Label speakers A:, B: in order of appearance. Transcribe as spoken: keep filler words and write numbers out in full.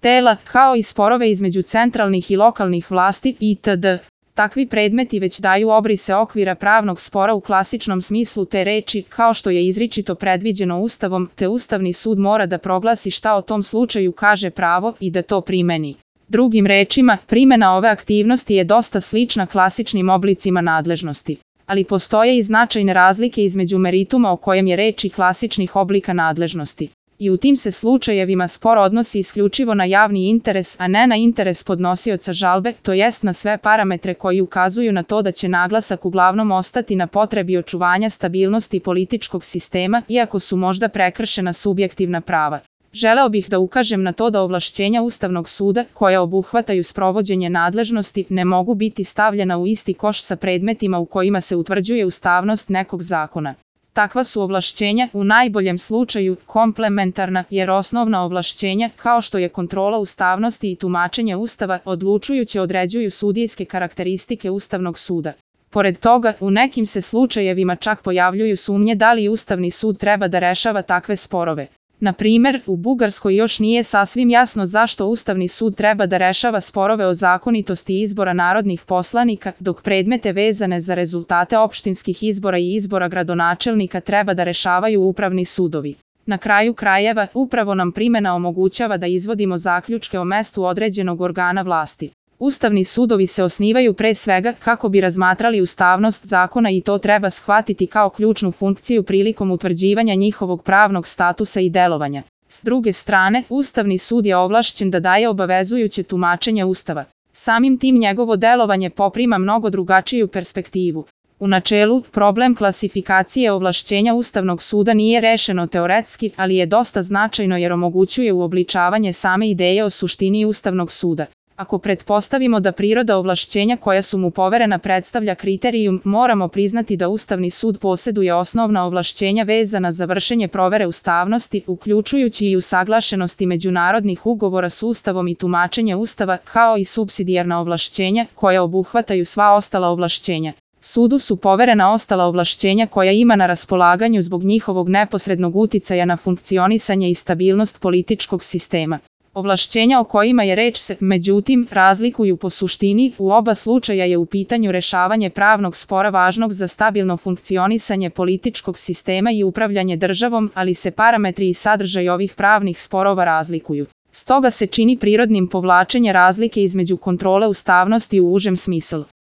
A: tela, kao i sporove između centralnih i lokalnih vlasti itd. Takvi predmeti već daju obrise okvira pravnog spora u klasičnom smislu te reči, kao što je izričito predviđeno Ustavom, te Ustavni sud mora da proglasi šta o tom slučaju kaže pravo i da to primeni. Drugim rečima, primena ove aktivnosti je dosta slična klasičnim oblicima nadležnosti. Ali postoje i značajne razlike između merituma o kojem je reč i klasičnih oblika nadležnosti. I u tim se slučajevima spor odnosi isključivo na javni interes, a ne na interes podnosioca žalbe, to jest na sve parametre koji ukazuju na to da će naglasak uglavnom ostati na potrebi očuvanja stabilnosti političkog sistema, iako su možda prekršena subjektivna prava. Želeo bih da ukažem na to da ovlašćenja Ustavnog suda, koja obuhvataju sprovođenje nadležnosti, ne mogu biti stavljena u isti koš sa predmetima u kojima se utvrđuje ustavnost nekog zakona. Takva su ovlašćenja, u najboljem slučaju, komplementarna, jer osnovna ovlašćenja, kao što je kontrola ustavnosti i tumačenje Ustava, odlučujuće određuju sudijske karakteristike Ustavnog suda. Pored toga, u nekim se slučajevima čak pojavljuju sumnje da li Ustavni sud treba da rešava takve sporove. Na primer, u Bugarskoj još nije sasvim jasno zašto Ustavni sud treba da rešava sporove o zakonitosti izbora narodnih poslanika, dok predmete vezane za rezultate opštinskih izbora i izbora gradonačelnika treba da rešavaju upravni sudovi. Na kraju krajeva, upravo nam primena omogućava da izvodimo zaključke o mestu određenog organa vlasti. Ustavni sudovi se osnivaju pre svega kako bi razmatrali ustavnost zakona i to treba shvatiti kao ključnu funkciju prilikom utvrđivanja njihovog pravnog statusa i delovanja. S druge strane, Ustavni sud je ovlašćen da daje obavezujuće tumačenje Ustava. Samim tim njegovo delovanje poprima mnogo drugačiju perspektivu. U načelu, problem klasifikacije ovlašćenja Ustavnog suda nije rešeno teoretski, ali je dosta značajno jer omogućuje uobličavanje same ideje o suštini Ustavnog suda. Ako pretpostavimo da priroda ovlašćenja koja su mu poverena predstavlja kriterijum, moramo priznati da Ustavni sud posjeduje osnovna ovlašćenja vezana za vršenje provere ustavnosti, uključujući i usaglašenosti međunarodnih ugovora s Ustavom i tumačenje Ustava, kao i supsidijarna ovlašćenja, koja obuhvataju sva ostala ovlašćenja. Sudu su poverena ostala ovlašćenja koja ima na raspolaganju zbog njihovog neposrednog uticaja na funkcionisanje i stabilnost političkog sistema. Ovlašćenja o kojima je reč se, međutim, razlikuju po suštini, u oba slučaja je u pitanju rešavanje pravnog spora važnog za stabilno funkcionisanje političkog sistema i upravljanje državom, ali se parametri i sadržaj ovih pravnih sporova razlikuju. Stoga se čini prirodnim povlačenje razlike između kontrole ustavnosti u užem smislu.